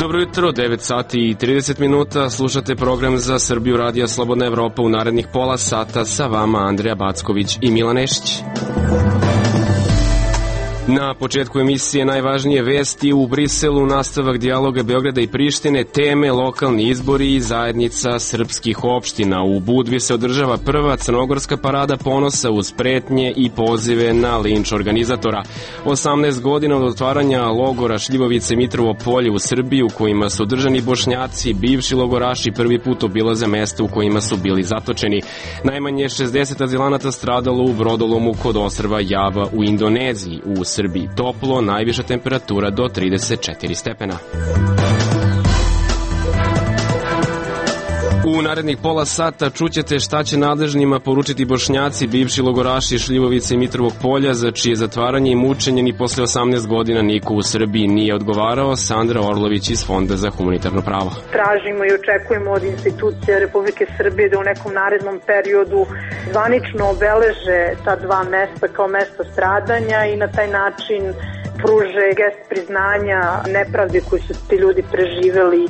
Dobro jutro, 9 sati i 30 minuta, slušate program za Srbiju Radija Slobodna Evropa. U narednih pola sata sa vama Andreja Backović i Milan Nešić. Na početku emisije najvažnije vesti: u Briselu nastavak dijaloga Beograda i Prištine, teme lokalni izbori i zajednica srpskih opština. U Budvi se održava prva crnogorska parada ponosa uz pretnje i pozive na linč organizatora. 18 godina od otvaranja logora Šljivovice i Mitrovo Polje u Srbiji, u kojima su držani Bošnjaci, bivši logoraši prvi put obilaze mesta u kojima su bili zatočeni. Najmanje 60 azilanata stradalo u brodolomu kod ostrva Java u Indoneziji. U Srbiji toplo, najviša temperatura do 34 stepena. U narednih pola sata čućete šta će nadležnima poručiti Bošnjaci, bivši logoraši Šljivovice i Mitrovog Polja, za čije zatvaranje i mučenje ni posle 18 godina niko u Srbiji nije odgovarao. Sandra Orlović iz Fonda za humanitarno pravo. Tražimo i očekujemo od institucija Republike Srbije da u nekom narednom periodu zvanično obeleže ta dva mesta kao mesta stradanja i na taj način pruže gest priznanja nepravde koju su ti ljudi preživeli.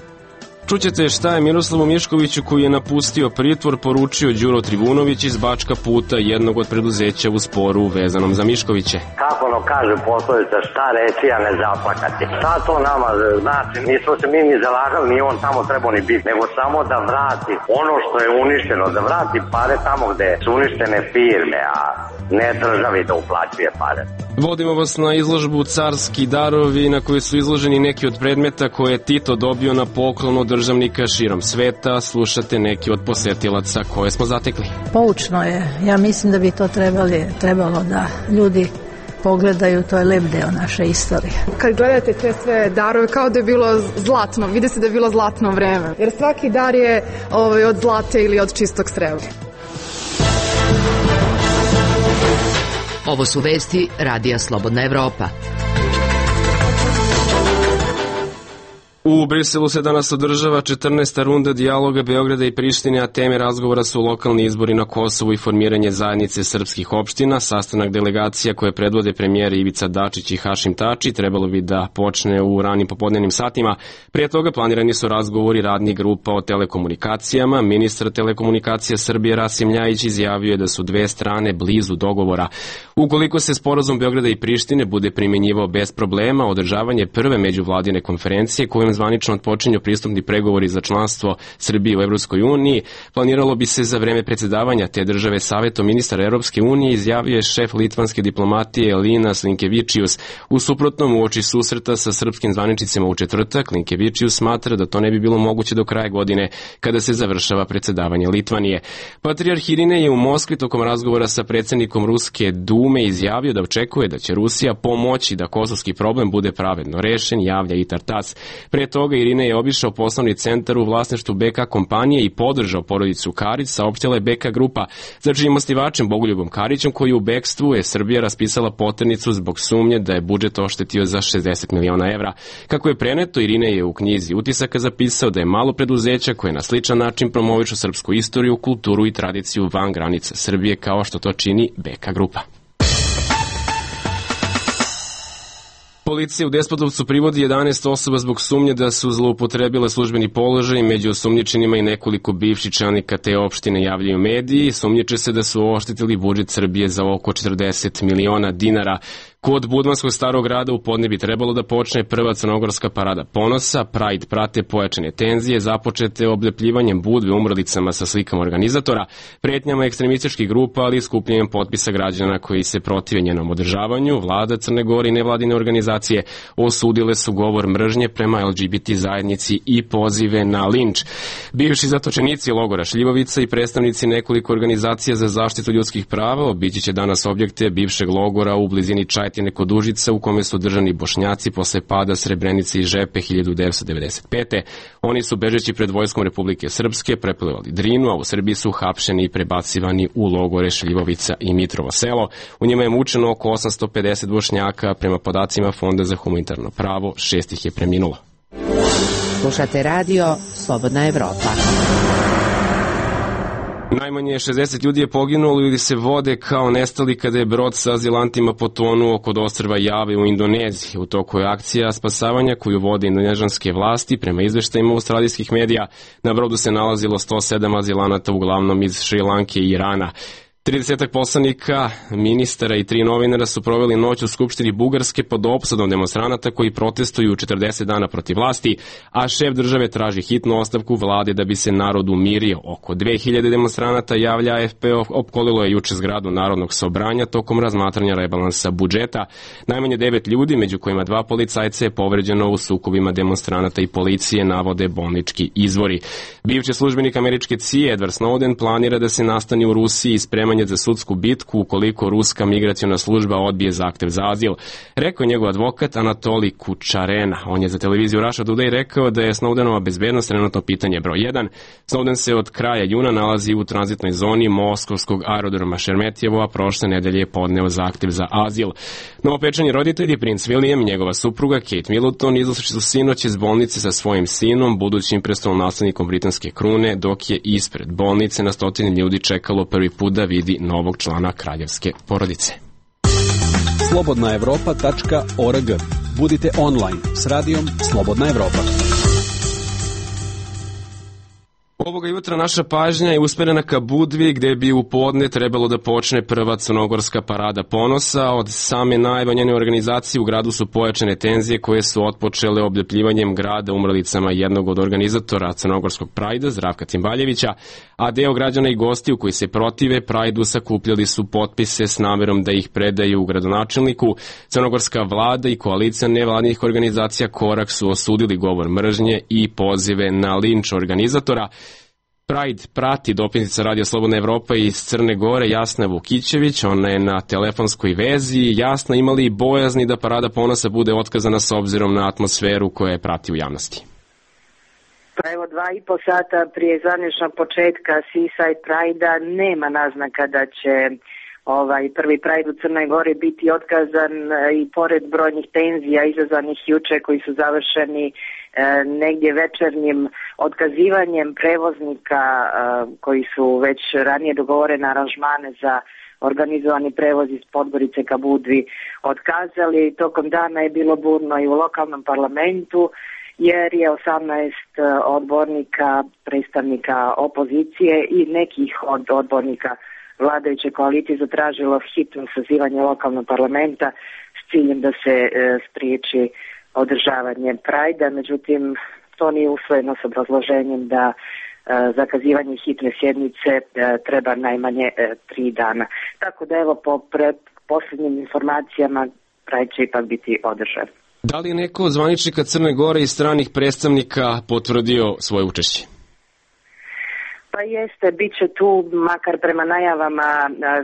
Čućete šta je Miroslavu Miškoviću, koji je napustio pritvor, poručio Đuro Trivunović iz Bačka Puta, jednog od preduzeća u sporu vezanom za Miškoviće. Kako ono kaže poslovica, šta reći, a ne zaplakati. Šta to nama znači? Nismo se mi ni zalagali, ni on tamo trebao ni biti, nego samo da vrati ono što je uništeno, da vrati pare tamo gde su uništene firme, a ne državi da uplaćuje pare. Vodimo vas na izložbu Carski darovi, na kojoj su izloženi neki od predmeta koje je Tito dobio na poklon od državnika širom sveta. Slušate neki od posetilaca koje smo zatekli. Poučno je. Ja mislim da bi to trebalo da ljudi pogledaju, to je lep deo naše istorije. Kad gledate te sve darove, kao da je bilo zlatno, vidi se da je bilo zlatno vreme. Jer svaki dar je od zlata ili od čistog srebra. Ovo su vesti Radija Slobodna Evropa. U Briselu se danas održava 14. runda dijaloga Beograda i Prištine, a teme razgovora su lokalni izbori na Kosovu i formiranje zajednice srpskih opština. Sastanak delegacija koje predvode premijeri Ivica Dačić i Hašim Tači trebalo bi da počne u ranim popodnevnim satima. Prije toga planirani su razgovori radnih grupa o telekomunikacijama. Ministar telekomunikacija Srbije Rasim Ljajić izjavio je da su dve strane blizu dogovora. Ukoliko se sporazum Beograda i Prištine bude primenjivao bez problema, održavanje prve međuvladine konferencije kojom zvanično odpočinju pristupni pregovori za članstvo Srbije u Evropskoj uniji, planiralo bi se za vreme predsjedavanja te države Savetom ministara Evropske unije, izjavio je šef litvanske diplomatije Linas Linkevičius. U suprotnom, uoči susreta sa srpskim zvaničnicima u četvrtak, Linkevičius smatra da to ne bi bilo moguće do kraja godine, kada se završava predsjedavanje Litvanije. Patrijarh Irinej je u Moskvi tokom razgovora sa predsjednikom Ruske Dume izjavio da očekuje da će Rusija pomoći da kosovski problem bude pravedno rešen, javlja Itar Tac. Pre toga Irina je obišao poslovni centar u vlasništvu BK kompanije i podržao porodicu Karić, saopštila je BK grupa. Za čijim osnivačem Bogoljubom Karićem, koji u bekstvu, je Srbija raspisala poternicu zbog sumnje da je budžet oštetio za 60 miliona evra. Kako je preneto, Irina je u knjizi utisaka zapisao da je malo preduzeća koje na sličan način promovišu srpsku istoriju, kulturu i tradiciju van granica Srbije, kao što to čini BK grupa. Policija u Despotovcu privodi 11 osoba zbog sumnje da su zloupotrebile službeni položaj. Među osumnjičenima i nekoliko bivših čelnika te opštine, javljaju mediji. Sumnjiče se da su oštetili budžet Srbije za oko 40 miliona dinara. Kod Budvanskog starog grada u podne bi trebalo da počne prva crnogorska parada ponosa. Pride prate pojačane tenzije, započete oblepljivanjem Budve umrlicama sa slikama organizatora, pretnjama ekstremističkih grupa, ali i skupljanjem potpisa građana koji se protive njenom održavanju. Vlada Crne Gore i nevladine organizacije osudile su govor mržnje prema LGBT zajednici i pozive na linč. Bivši zatočenici logora Šljivovica i predstavnici nekoliko organizacija za zaštitu ljudskih prava obići će danas objekte bivšeg logora u blizini Čajetine kod Užica, u kome su držani Bošnjaci posle pada Srebrenice i Žepe 1995. Oni su, bežeći pred vojskom Republike Srpske, preplivali Drinu, a u Srbiji su hapšeni i prebacivani u logore Šljivovica i Mitrovo Selo. U njima je mučeno oko 850 Bošnjaka. Prema podacima Fonda za humanitarno pravo, 6 ih je preminulo. Slušate radio Slobodna Evropa. Najmanje 60 ljudi je poginulo ili se vode kao nestali kada je brod sa azilantima potonuo kod ostrva Jave u Indoneziji. U toku je akcija spasavanja koju vode indonežanske vlasti. Prema izveštajima australijskih medija, na brodu se nalazilo 107 azilanata, uglavnom iz Šrilanke i Irana. 30 poslanika, ministara i 3 novinara su proveli noć u Skupštini Bugarske pod opsadom demonstranata koji protestuju 40 dana protiv vlasti, a šef države traži hitnu ostavku vlade da bi se narod umirio. Oko 2000 demonstranata, javlja AFP, opkolilo je juče zgradu Narodnog sobranja tokom razmatranja rebalansa budžeta. Najmanje 9 ljudi, među kojima 2 policajca, je povređeno u sukobima demonstranata i policije, navode bolnički izvori. Bivši službenik američke CIA Edward Snowden planira da se nastani u Rusiji sprema za sudsku bitku ukoliko ruska migraciona služba odbije zahtev za azil, rekao je njegov advokat Anatolij Kučarena. On je za televiziju Russia Today rekao da je Snowdenova bezbednost trenutno pitanje broj 1. Snowden se od kraja juna nalazi u tranzitnoj zoni moskovskog aerodroma Šeremetjevo, a prošle nedelje je podneo zahtev za azil. Novopečeni roditelji, princ William i njegova supruga Kate Middleton, izašli su sinoć iz bolnice sa svojim sinom, budućim prestolonaslednikom britanske krune, dok je ispred bolnice na stotine ljudi čekalo prvi put da vidi novog člana kraljevske porodice. slobodnaevropa.org. Budite online s radijom Slobodna Evropa. Ovoga jutra naša pažnja je usmerena ka Budvi, gde bi u podne trebalo da počne prva crnogorska parada ponosa. Od same najave njene organizacije u gradu su pojačane tenzije koje su otpočele obljepljivanjem grada umrlicama jednog od organizatora crnogorskog Prajda, Zdravka Cimbaljevića, a deo građana i gostiju koji se protive Prajdu sakupljali su potpise s namerom da ih predaju u gradonačelniku. Crnogorska vlada i koalicija nevladnih organizacija Korak su osudili govor mržnje i pozive na linč organizatora. Pride prati dopisnica Radio Slobodna Evropa iz Crne Gore Jasna Vukićević, ona je na telefonskoj vezi. Jasna, imali bojazni da parada ponosa bude otkazana s obzirom na atmosferu koja je prati u javnosti? Pa evo 2,5 sata prije zvaničnog početka Seaside Pride-a nema naznaka da će prvi Pride u Crnoj Gori biti otkazan i pored brojnih tenzija izazvanih juče koji su završeni negdje večernjim otkazivanjem prevoznika koji su već ranije dogovorene aranžmane za organizovani prevoz iz Podgorice ka Budvi otkazali. Tokom dana je bilo burno i u lokalnom parlamentu jer je 18 odbornika, predstavnika opozicije i nekih od odbornika vladajuće koalicije zatražilo hitno sazivanje lokalnog parlamenta s ciljem da se spriječi održavanje Prajda, međutim to nije usvojeno s obrazloženjem da zakazivanje hitne sjednice treba najmanje 3 dana. Tako da evo po posljednjim informacijama Prajda će ipak biti održan. Da li je neko od zvaničnika Crne Gore i stranih predstavnika potvrdio svoje učešće? Pa jeste, bit će tu, makar prema najavama,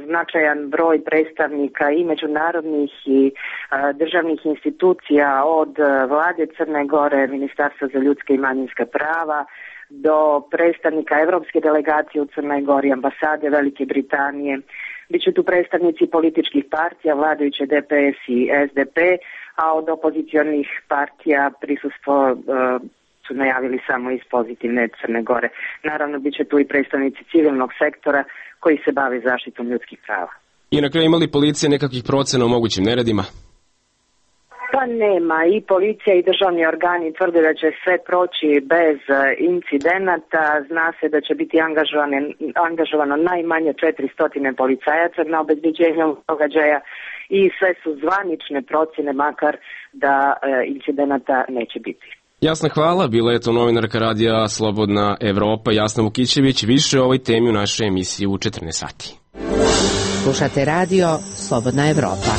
značajan broj predstavnika i međunarodnih i državnih institucija od vlade Crne Gore, Ministarstva za ljudska i manjinska prava, do predstavnika Evropske delegacije u Crnoj Gori, ambasade Velike Britanije. Biće tu predstavnici političkih partija, vladajuće DPS i SDP, a od opozicionih partija prisustvo su najavili samo iz pozitivne Crne Gore. Naravno, bit će tu i predstavnici civilnog sektora koji se bave zaštitom ljudskih prava. I na kraju imali policija nekakvih procena o mogućim neredima? Pa nema. I policija i državni organi tvrde da će sve proći bez incidenata. Zna se da će biti angažovano najmanje 400 policajaca na obezbeđenju događaja i sve su zvanične procjene, makar da incidenata neće biti. Jasna, hvala. Bila je to novinarka radija Slobodna Evropa Jasna Vukićević. Više o ovoj temi u našoj emisiji u 14 sati. Slušate radio Slobodna Evropa.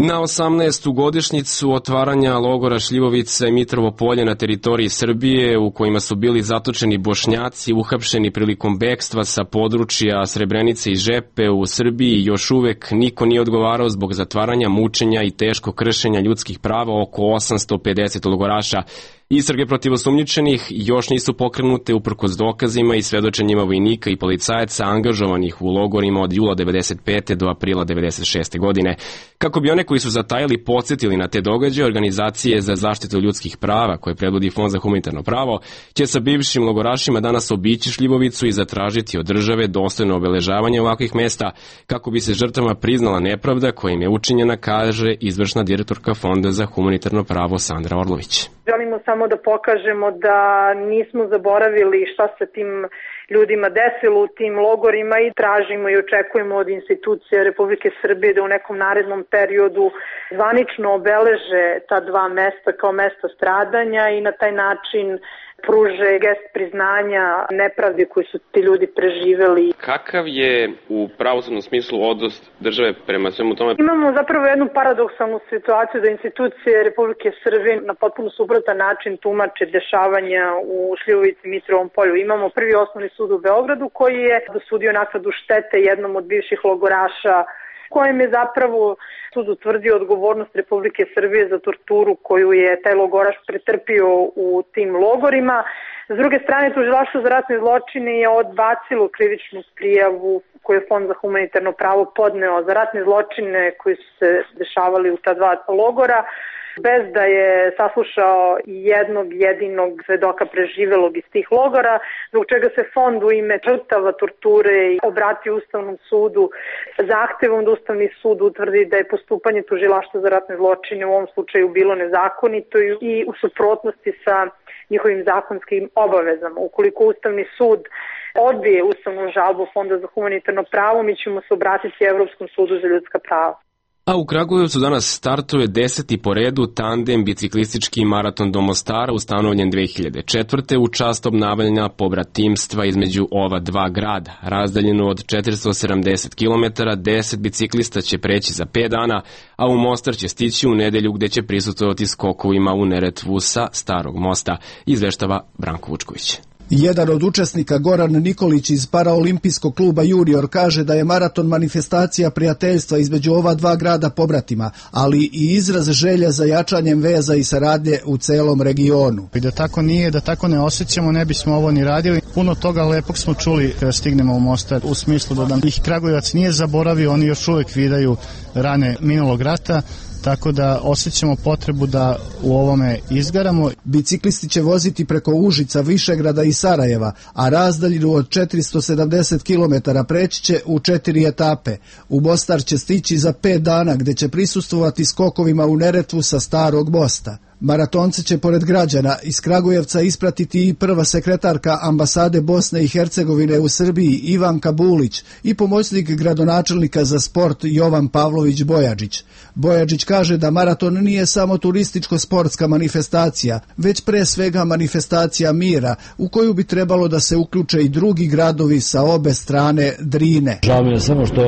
Na 18. godišnjicu otvaranja logora Šljivovica i Mitrovo Polje na teritoriji Srbije, u kojima su bili zatočeni Bošnjaci uhapšeni prilikom bekstva sa područja Srebrenice i Žepe u Srbiji, još uvek niko nije odgovarao zbog zatvaranja, mučenja i teško kršenja ljudskih prava oko 850 logoraša. Istrage protiv osumnjičenih još nisu pokrenute uprkos dokazima i svedočenjima vojnika i policajaca angažovanih u logorima od jula 1995. do aprila 1996. godine. Kako bi one koji su zatajili podsjetili na te događaje, organizacije za zaštitu ljudskih prava, koje predvodi Fond za humanitarno pravo, će sa bivšim logorašima danas obići Šljivovicu i zatražiti od države dostojno obeležavanje ovakvih mesta kako bi se žrtvama priznala nepravda koja im je učinjena, kaže izvršna direktorka Fonda za humanitarno pravo Sandra Orlović. Želimo samo da pokažemo da nismo zaboravili šta se tim ljudima desilo u tim logorima i tražimo i očekujemo od institucija Republike Srbije da u nekom narednom periodu zvanično obeleže ta dva mesta kao mesta stradanja i na taj način pruže gest priznanja nepravde koju su ti ljudi preživeli. Kakav je u pravosudnom smislu odnos države prema svemu tome? Imamo zapravo jednu paradoksalnu situaciju da institucije Republike Srbije na potpuno suprotan način tumače dešavanja u Šljivovici i Mitrovom polju. Imamo Prvi osnovni sud u Beogradu koji je dosudio naknadu štete jednom od bivših logoraša, kojem je zapravo sud utvrdio odgovornost Republike Srbije za torturu koju je taj logoraš pretrpio u tim logorima. S druge strane, Tužilaštvo za ratne zločine je odbacilo krivičnu prijavu koju je Fond za humanitarno pravo podneo za ratne zločine koji su se dešavali u ta dva logora, bez da je saslušao jednog jedinog svedoka preživelog iz tih logora, zbog čega se Fond u ime žrtava torture obratio Ustavnom sudu zahtevom da Ustavni sud utvrdi da je postupanje Tužilaštva za ratne zločine u ovom slučaju bilo nezakonito i u suprotnosti sa njihovim zakonskim obavezama. Ukoliko Ustavni sud odbije ustavnu žalbu Fonda za humanitarno pravo, mi ćemo se obratiti Evropskom sudu za ljudska prava. A u Kragujevcu danas startuje 10. po redu tandem biciklistički maraton do Mostara ustanovljen 2004. u čast obnavljanja pobratimstva između ova dva grada. Razdaljeno od 470 km, 10 biciklista će preći za 5 dana, a u Mostar će stići u nedelju gde će prisutovati skokovima u Neretvu sa Starog mosta, izveštava Branko Vučković. Jedan od učesnika, Goran Nikolić iz paraolimpijskog kluba Junior, kaže da je maraton manifestacija prijateljstva između ova dva grada pobratima, ali i izraz želja za jačanjem veza i saradnje u celom regionu. I da tako nije, da tako ne osjećamo, ne bismo ovo ni radili. Puno toga lepog smo čuli kada stignemo u Mostar, u smislu da nam ih Kragujevac nije zaboravio, oni još uvek vidaju rane minulog rata, tako da osjećamo potrebu da u ovome izgaramo. Biciklisti će voziti preko Užica, Višegrada i Sarajeva, a razdaljinu od 470 km preći će u 4 etape. U Mostar će stići za 5 dana, gde će prisustvovati skokovima u Neretvu sa Starog mosta. Maratonce će pored građana iz Kragujevca ispratiti i prva sekretarka ambasade Bosne i Hercegovine u Srbiji Ivanka Bulić i pomoćnik gradonačelnika za sport Jovan Pavlović Bojađić. Bojađić kaže da maraton nije samo turističko-sportska manifestacija, već pre svega manifestacija mira u koju bi trebalo da se uključe i drugi gradovi sa obe strane Drine. Žao mi je samo što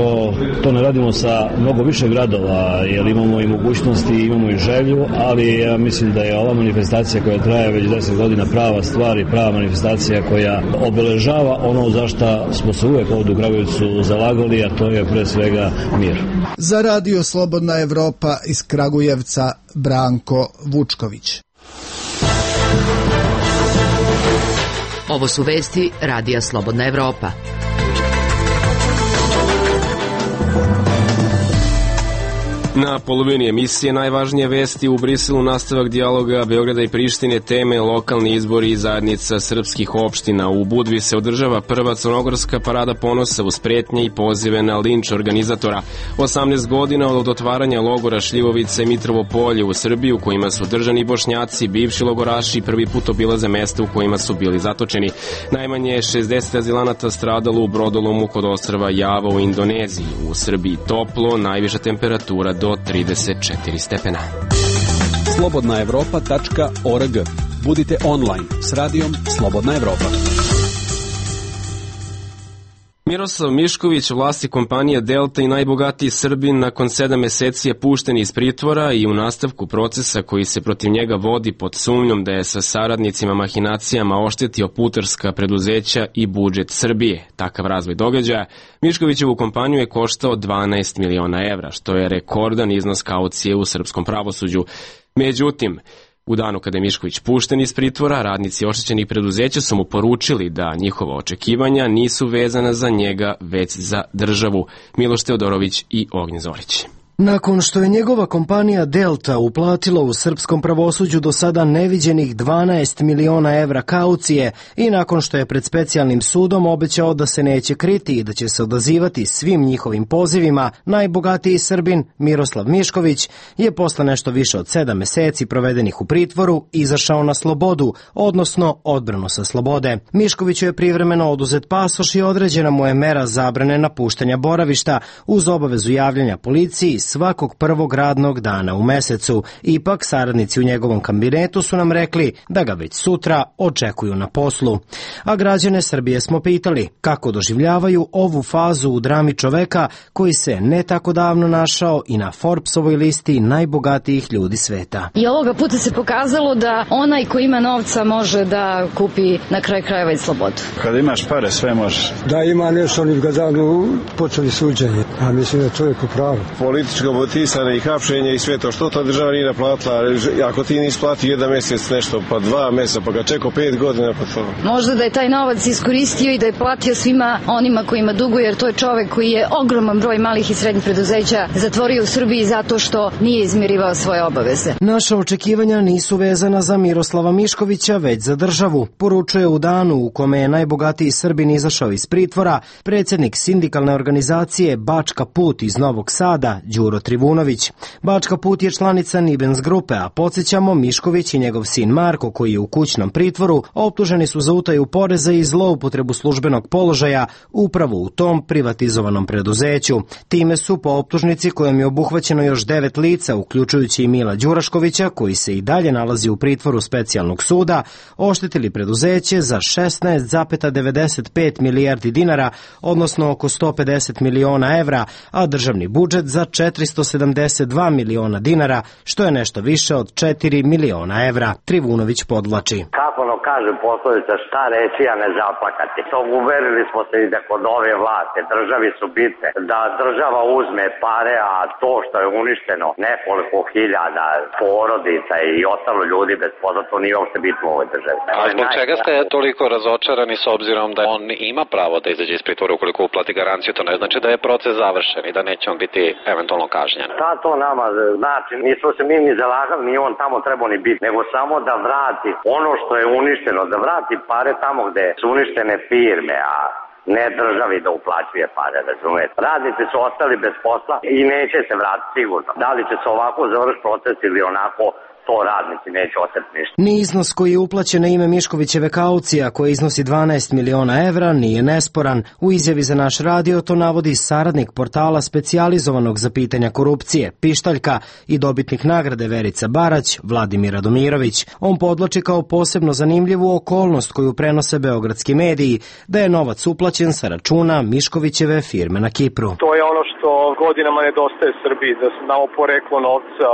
to ne radimo sa mnogo više gradova, jer imamo i mogućnosti, imamo i želju, ali ja mislim da je ova manifestacija koja traje već 10 godina prava stvar i prava manifestacija koja obeležava ono za šta smo se uvek ovdje u Kragujevcu zalagali, a to je pre svega mir. Za Radio Slobodna Evropa iz Kragujevca, Branko Vučković. Ovo su vesti Radija Slobodna Evropa. Na polovini emisije najvažnije vesti u Briselu nastavak dijaloga Beograda i Prištine, teme lokalni izbori i zajednica srpskih opština. U Budvi se održava prva crnogorska parada ponosa uz pretnje i pozive na linč organizatora. 18 godina od otvaranja logora Šljivovica i Mitrovo polje u Srbiji u kojima su držani Bošnjaci, bivši logoraši prvi put obilaze mesta u kojima su bili zatočeni. Najmanje 60 azilanata stradalo u brodolomu kod ostrva Java u Indoneziji. U Srbiji toplo, najviša temperatura do 34 stepena. slobodnaevropa.org. Budite online s radijom Slobodna Evropa. Miroslav Mišković, vlasnik kompanije Delta i najbogatiji Srbin, nakon 7 meseci je pušten iz pritvora i u nastavku procesa koji se protiv njega vodi pod sumnjom da je sa saradnicima mahinacijama oštetio putarska preduzeća i budžet Srbije. Takav razvoj događaja Miškovićevu kompaniju je koštao 12 miliona evra, što je rekordan iznos kaucije u srpskom pravosuđu. Međutim, U danu kada je Mišković pušten iz pritvora, radnici oštećenih preduzeća su mu poručili da njihova očekivanja nisu vezana za njega, već za državu. Miloš Teodorović i Ognjen Zorić. Nakon što je njegova kompanija Delta uplatila u srpskom pravosuđu do sada neviđenih 12 miliona evra kaucije i nakon što je pred specijalnim sudom obećao da se neće kriti i da će se odazivati svim njihovim pozivima, najbogatiji Srbin Miroslav Mišković je posle nešto više od 7 meseci provedenih u pritvoru izašao na slobodu, odnosno odbranu sa slobode. Miškoviću je privremeno oduzet pasoš i određena mu je mera zabrane napuštanja boravišta uz obavezu javljanja policiji svakog prvog radnog dana u mesecu. Ipak, saradnici u njegovom kabinetu su nam rekli da ga već sutra očekuju na poslu. A građane Srbije smo pitali kako doživljavaju ovu fazu u drami čoveka koji se ne tako davno našao i na Forbesovoj listi najbogatijih ljudi sveta. I ovoga puta se pokazalo da onaj ko ima novca može da kupi na kraj krajeva i slobodu. Kada imaš pare, sve možeš. Da ima nešto, oni ga davno počeli suđenje, a mislim da je čovjek u pravu. Političko motisane i hapšenje i sve to, što ta država nije naplatila, ako ti nisi platio 1 mesec nešto, pa 2 meseca, pa ga čekao 5 godina, pa to. Možda da je taj novac iskoristio i da je platio svima onima kojima duguje, jer to je čovek koji je ogroman broj malih i srednjih preduzeća zatvorio u Srbiji zato što nije izmirivao svoje obaveze. Naša očekivanja nisu vezana za Miroslava Miškovića, već za državu, poručuje u danu u kome je najbogatiji Srbin izašao iz pritvora predsjednik sindikalne organizacije Bačka Put iz Novog Sada, Đuro Trivunović. Bačka Put je članica Nibens grupe, a podsjećamo, Mišković i njegov sin Marko, koji je u kućnom pritvoru, optuženi su za utaju poreza i zloupotrebu službenog položaja upravo u tom privatizovanom preduzeću. Time su po optužnici kojom je obuhvaćeno još 9 lica, uključujući i Mila Đuraškovića, koji se i dalje nalazi u pritvoru specijalnog suda, oštetili preduzeće za 16,95 milijardi dinara, odnosno oko 150 miliona evra, a državni budžet za 472 miliona dinara, što je nešto više od 4 miliona evra. Trivunović podvlači. Kako ono kaže poslovica, šta reći, a ne zaplakati. To uverili smo se i da kod ove vlasti državi su bitne, da država uzme pare, a to što je uništeno nekoliko hiljada porodica i ostalo ljudi bez posla, to nije uopšte bitno u ovoj državi. A zbog čega ste toliko razočarani s obzirom da on ima pravo da izađe iz pritvora ukoliko uplati garanciju? To ne znači da je proces završen i da neće on biti eventualno kažnjen. Šta to nama znači? Nismo se mi ni zalagali, ni on tamo trebao ni biti, nego samo da vrati ono što je uništeno, da vrati pare tamo gde su uništene firme, a ne državi da uplaćuje pare, razumete. Radnici su ostali bez posla i neće se vratiti sigurno. Da li će se ovako završiti proces ili onako, to radnici neće osjetiti ništa. Ni iznos koji je uplaćen na ime Miškovićeve kaucija, koja iznosi 12 miliona evra, nije nesporan. U izjavi za naš radio to navodi saradnik portala specijalizovanog za pitanja korupcije, Pištaljka, i dobitnik nagrade Verica Barać, Vladimir Radomirović. On podvlači kao posebno zanimljivu okolnost koju prenose beogradski mediji, da je novac uplaćen sa računa Miškovićeve firme na Kipru. To je ono što godinama nedostaje Srbiji, da znamo poreklo novca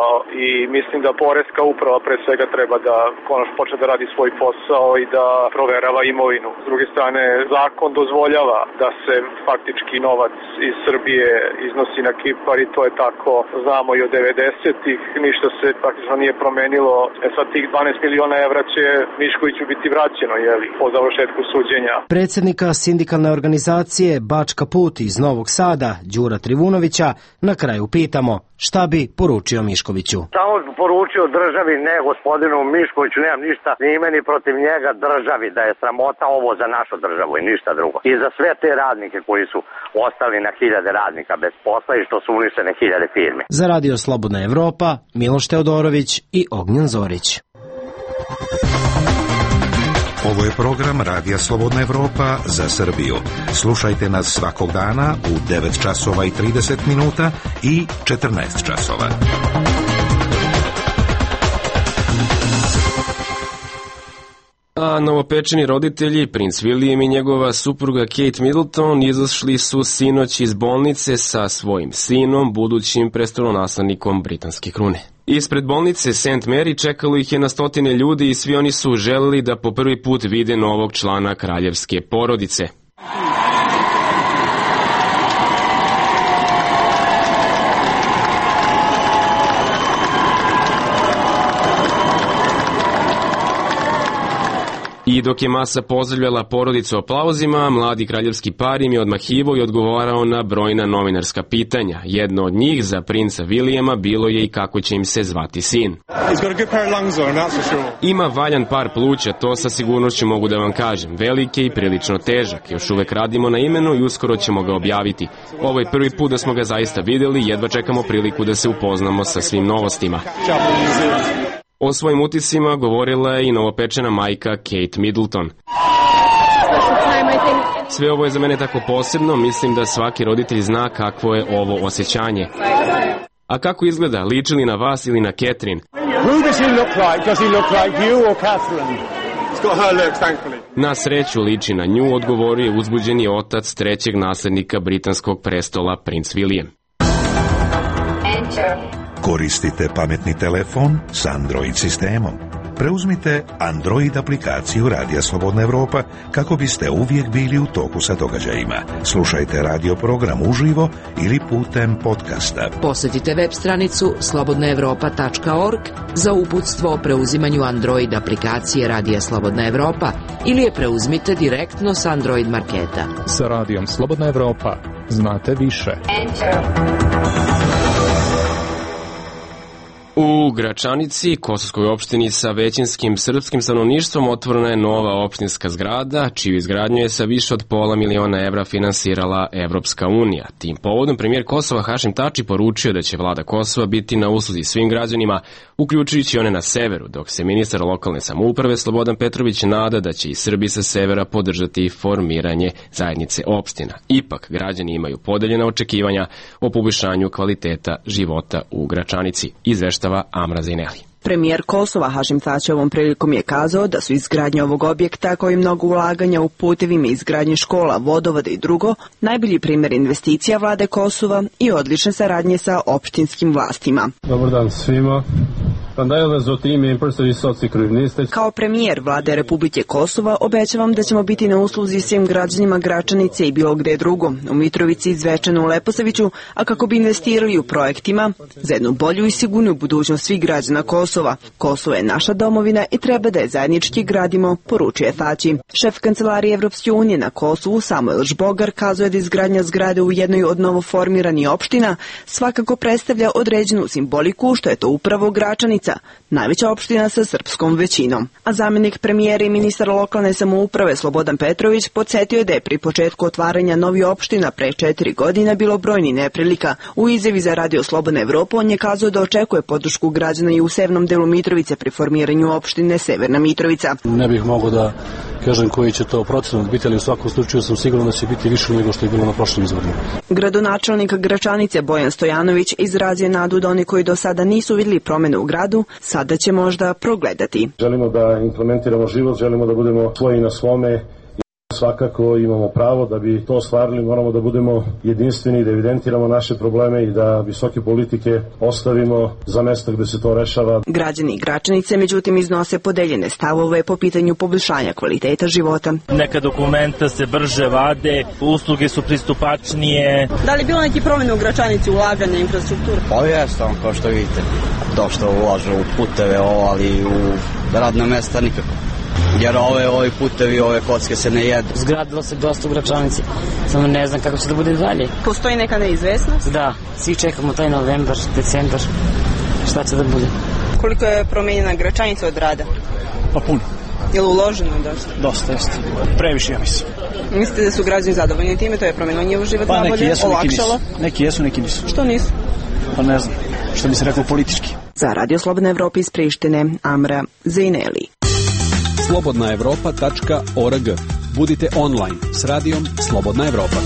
i mislim da poreska uprava pre svega treba da konačno počne da radi svoj posao i da proverava imovinu. S druge strane, zakon dozvoljava da se faktički novac iz Srbije iznosi na Kipar i to je tako, znamo i od 90-ih, ništa se praktično nije promenilo. Sad tih 12 miliona evra će Miškoviću biti vraćeno, po završetku suđenja. Predsjednika sindikalne organizacije Bačka Put iz Novog Sada, Đura Trivunovića, na kraju pitamo šta bi poručio Miškoviću. Samo poručio državi, ne gospodinu Miškoviću, nemam ništa ni ime ni protiv njega, državi, da je sramota ovo za našu državu i ništa drugo. I za sve te radnike koji su ostali na hiljade radnika bez posla i što su uništene hiljade firme. Za Radio Slobodna Evropa, Miloš Teodorović i Ognjen Zorić. Ovo je program Radija Slobodna Evropa za Srbiju. Slušajte nas svakog dana u 9 časova i 30 minuta i 14 časova. A novopečeni roditelji, princ William i njegova supruga Kate Middleton, izašli su sinoć iz bolnice sa svojim sinom, budućim prestolonaslednikom britanske krune. Ispred bolnice St. Mary čekalo ih je na stotine ljudi i svi oni su želeli da po prvi put vide novog člana kraljevske porodice. I dok je masa pozdravljala porodicu aplauzima, mladi kraljevski par im je odmahivao i odgovarao na brojna novinarska pitanja. Jedno od njih za princa Vilijama bilo je i kako će im se zvati sin. Ima valjan par pluća, to sa sigurnošću mogu da vam kažem. Velik je i prilično težak. Još uvek radimo na imenu i uskoro ćemo ga objaviti. Ovo je prvi put da smo ga zaista videli, jedva čekamo priliku da se upoznamo sa svim novostima. O svojim utiscima govorila je i novopečena majka Kate Middleton. Sve ovo je za mene tako posebno, mislim da svaki roditelj zna kakvo je ovo osjećanje. A kako izgleda, liči li na vas ili na Catherine? Na sreću liči na nju, odgovorio je uzbuđeni otac trećeg naslednika britanskog prestola, princ William. Koristite pametni telefon s Android sistemom. Preuzmite Android aplikaciju Radija Slobodna Evropa kako biste uvijek bili u toku sa događajima. Slušajte radio program uživo ili putem podcasta. Posjetite web stranicu slobodnaevropa.org za uputstvo o preuzimanju Android aplikacije Radija Slobodna Evropa ili je preuzmite direktno s Android marketa. Sa Radijom Slobodna Evropa znate više. U Gračanici, Kosovskoj opštini sa većinskim srpskim stanovništvom, otvorena je nova opštinska zgrada, čiju izgradnju je sa više od $500 000 finansirala Evropska unija. Tim povodom premijer Kosova Hašim Tači poručio da će vlada Kosova biti na usluzi svim građanima, uključujući one na severu, dok se ministar lokalne samouprave Slobodan Petrović nada da će i Srbi sa severa podržati formiranje zajednice opština. Ipak, građani imaju podeljena očekivanja o poboljšanju kvaliteta života u Gračanici. Izvešta Amra Zineli. Premijer Kosova Hašim Tači ovom prilikom je kazao da su izgradnje ovog objekta, kao i mnogo ulaganja u putevima, izgradnje škola, vodovoda i drugo, najbolji primjer investicija vlade Kosova i odlične saradnje sa opštinskim vlastima. Dobar dan svima. Kao premijer vlade Republike Kosova obećavam da ćemo biti na usluzi svim građanima Gračanice i bilo gde drugo, u Mitrovici, Zvečanu, u Leposaviću, a kako bi investirali u projektima za jednu bolju i sigurnu budućnost svih građana Kosova. Kosovo je naša domovina i treba da je zajednički gradimo, poručuje Tači. Šef kancelarije Evropske unije na Kosovu Samuel Žbogar kazuje da izgradnja zgrade u jednoj od novoformiranih opština svakako predstavlja određenu simboliku, što je to upravo Gračanica, najveća opština sa srpskom većinom. A zamjenik premijera i ministar lokalne samouprave Slobodan Petrović podsjetio je da je pri početku otvaranja novih opština pre 4 godina bilo brojni neprilika. U izjavi za Radio Slobodna Evropa on je kazao da očekuje podršku građana i u severnom delu Mitrovice pri formiranju opštine Severna Mitrovica. Ne bih mogao da kažem koji će to procenat biti, ali u svakom slučaju sam siguran da će biti više nego što je bilo na prošlim izborima. Gradonačelnik Gračanice Bojan Stojanović izrazio nadu da oni koji do sada nisu vidjeli promene u gradu, sada će možda progledati. Želimo da implementiramo život, želimo da budemo svoji na svome. Svakako imamo pravo da bi to ostvarili, moramo da budemo jedinstveni, da evidentiramo naše probleme i da visoke politike ostavimo za mesta gde se to rešava. Građani Gračanice međutim iznose podeljene stavove po pitanju poboljšanja kvaliteta života. Neka dokumenta se brže vade, usluge su pristupačnije. Da li je bilo neki promjene u Gračanici, ulaganja, infrastrukture? Pa jeste, kao što vidite. To što ulaže u puteve, ali u radna mesta nikako. Jer ovi putevi, ove kocke se ne jedu. Zgradilo se dosta u Gračanici, samo ne znam kako će da bude dalje. Postoji neka neizvesnost? Da, svi čekamo taj novembar, decembar, šta će da bude. Koliko je promenjena Gračanica od rada? Pa puno. Je li uloženo dosta? Dosta, jeste. Previše, ja mislim. Mislite da su građani zadovoljni time, to je promenilo njihov život nabolje, olakšalo? Neki jesu, neki nisu. Što nisu? Pa ne znam, što bi se reklo politički. Za Radio Slobodna Evropa iz Prištine, Amra Zineli. slobodnaevropa.org. Budite online s radijom Slobodna Evropa.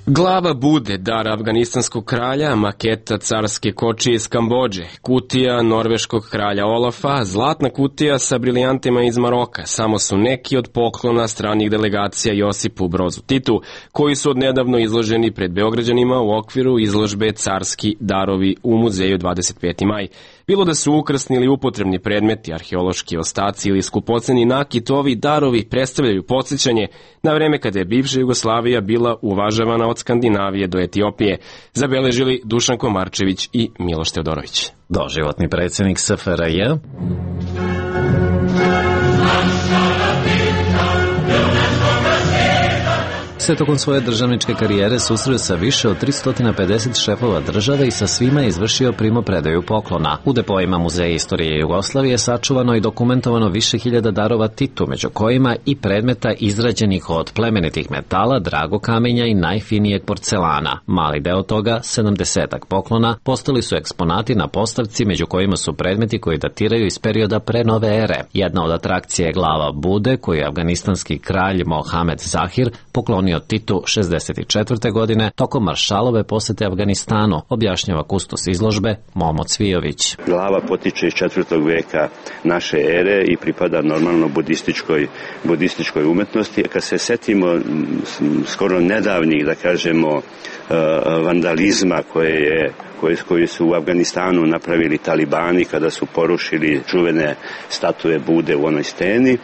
Glava bude dar afganistanskog kralja, maketa carske kočije iz Kambodže, kutija norveškog kralja Olafa, zlatna kutija sa brilijantima iz Maroka, samo su neki od poklona stranih delegacija Josipu Brozu Titu, koji su odnedavno izloženi pred Beograđanima u okviru izložbe Carski darovi u muzeju 25. maj. Bilo da su ukrasni ili upotrebni predmeti, arheološki ostaci ili skupoceni nakit, ovi darovi predstavljaju podsjećanje na vreme kada je bivša Jugoslavija bila uvažavana od Skandinavije do Etiopije, zabeležili Dušan Komarčević i Miloš Teodorović. Doživotni predsjednik SFRJ Sve tokom svoje državničke karijere susreo sa više od 350 šefova države i sa svima je izvršio primopredaju poklona. U depoima Muzeja istorije Jugoslavije sačuvano i dokumentovano više hiljada darova Titu, među kojima i predmeta izrađenih od plemenitih metala, dragokamenja i najfinijeg porcelana. Mali deo toga, 70-ak poklona, postali su eksponati na postavci, među kojima su predmeti koji datiraju iz perioda pre nove ere. Jedna od atrakcija je glava Bude, koju je afganistanski kralj Mohamed Zahir poklonio Titu 64. godine tokom maršalove posete Afganistanu, objašnjava kustos izložbe Momo Cvijović. Glava potiče iz 4. veka naše ere i pripada normalno budističkoj umetnosti. Kad se setimo skoro nedavnih, da kažemo, vandalizma koji su u Afganistanu napravili talibani kada su porušili čuvene statue Bude u onoj steni,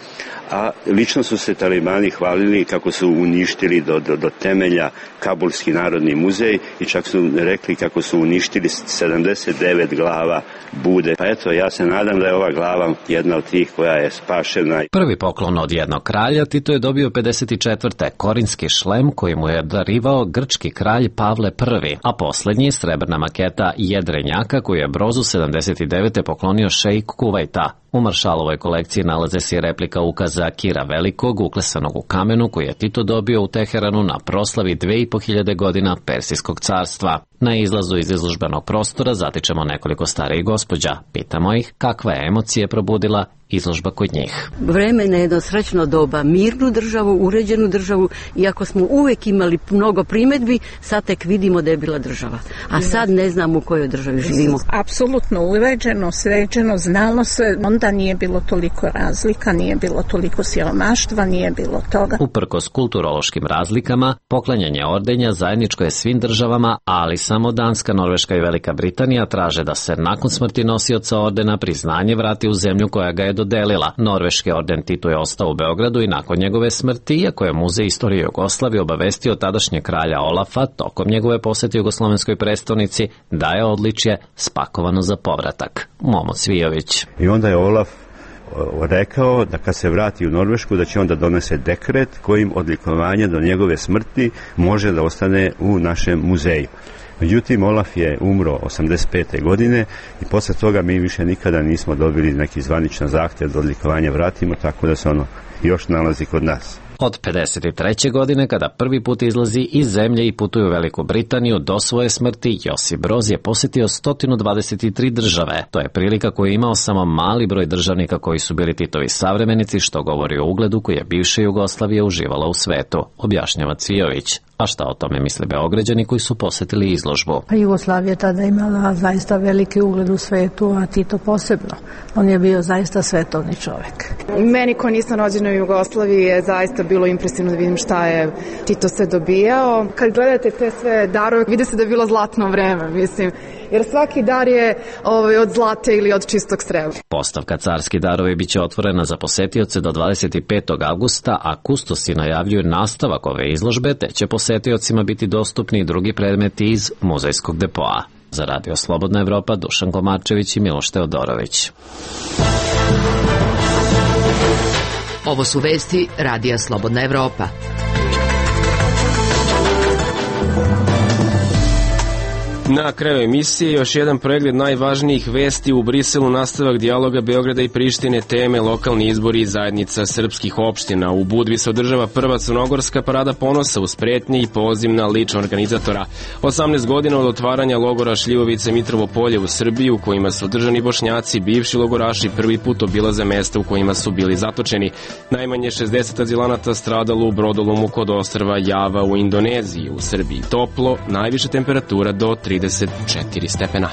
a lično su se talibani hvalili kako su uništili do temelja Kabulski narodni muzej i čak su rekli kako su uništili 79 glava Bude. Pa eto, ja se nadam da je ova glava jedna od tih koja je spašena. Prvi poklon od jednog kralja Tito je dobio 54. korinski šlem koji mu je darivao grčki kralj Pavle I, a poslednji srebrna maketa jedrenjaka koju je Brozu 79. poklonio šejk Kuvajta. U maršalovoj kolekciji nalaze se replika ukaza Kira Velikog, uklesanog u kamenu, koji je Tito dobio u Teheranu na proslavi 2500 godina Persijskog carstva. Na izlazu iz izložbenog prostora zatičemo nekoliko starijih gospođa. Pitamo ih kakva je emocije probudila izložba kod njih. Vreme na jedno srećno doba, mirnu državu, uređenu državu, iako smo uvek imali mnogo primedbi, sad tek vidimo da je bila država. A sad ne znamo u kojoj državi živimo. Apsolutno uređeno, sređeno, znalo se, onda nije bilo toliko razlika, nije bilo toliko siromaštva, nije bilo toga. Uprkos kulturološkim razlikama, poklanjanje ordenja zajedničko je svim državama, ali samo Danska, Norveška i Velika Britanija traže da se nakon smrti nosioca ordena priznanje vrati u zemlju koja ga je dodelila. Norveški orden Titu je ostao u Beogradu i nakon njegove smrti, iako je Muzej istorije Jugoslavije obavestio tadašnje kralja Olafa tokom njegove posete jugoslovenskoj prestonici da je odličje spakovano za povratak. Momo Cvijović. I onda je Olaf rekao da kad se vrati u Norvešku da će onda donese dekret kojim odlikovanje do njegove smrti može da ostane u našem muzeju. Međutim, Olaf je umro 85. godine i posle toga mi više nikada nismo dobili neki zvaničan zahtev da odlikovanje vratimo, tako da se ono još nalazi kod nas. Od 53. godine, kada prvi put izlazi iz zemlje i putuje u Veliku Britaniju, do svoje smrti Josip Broz je posetio 123 države. To je prilika koju je imao samo mali broj državnika koji su bili Titovi savremenici, što govori o ugledu koji je bivša Jugoslavija uživala u svetu, objašnjava Cvijović. A šta o tome misle Beograđani koji su posetili izložbu? Pa Jugoslavija tada imala zaista veliki ugled u svetu, a Tito posebno. On je bio zaista svetovni čovek. Meni ko nisam rođena u Jugoslaviji je zaista bilo impresivno da vidim šta je Tito sve dobijao. Kad gledate te sve darove, vidi se da je bilo zlatno vreme, mislim. Jer svaki dar je od zlate ili od čistog srebra. Postavka Carski darovi biće otvorena za posetioce do 25. avgusta, a kustosi najavljuju nastavak ove izložbe, te će posetiocima biti dostupni i drugi predmeti iz muzejskog depoa. Za Radio Slobodna Evropa, Dušan Komarčević i Miloš Teodorović. Ovo su vesti Radija Slobodna Evropa. Na kraju emisije još jedan pregled najvažnijih vesti. U Briselu nastavak dijaloga Beograda i Prištine, teme lokalni izbori i zajednica srpskih opština. U Budvi se održava prva crnogorska parada ponosa uz pretnje i poziv na ličnog organizatora. 18 godina od otvaranja logora Šljivovice Mitrovo polje u Srbiji, u kojima su održani Bošnjaci, bivši logoraši prvi put obilaze mesta u kojima su bili zatočeni. Najmanje 60 azilanata stradalo u brodolomu kod ostrva Java u Indoneziji. U Srbiji toplo, najviša temperatura do 34 stepena.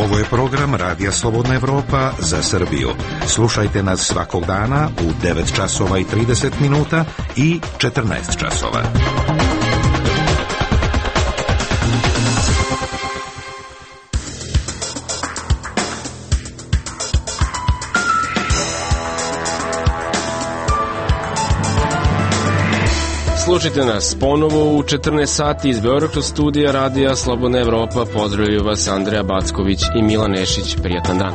Ovo je program Radija Slobodna Evropa za Srbiju. Slušajte nas svakog dana u 9 časova i 30 minuta i 14 časova. Slušajte nas ponovo u 14 sati iz Beogradskog studija Radija Slobodna Evropa. Pozdravljaju vas Andreja Backović i Milan Nešić. Prijatan dan.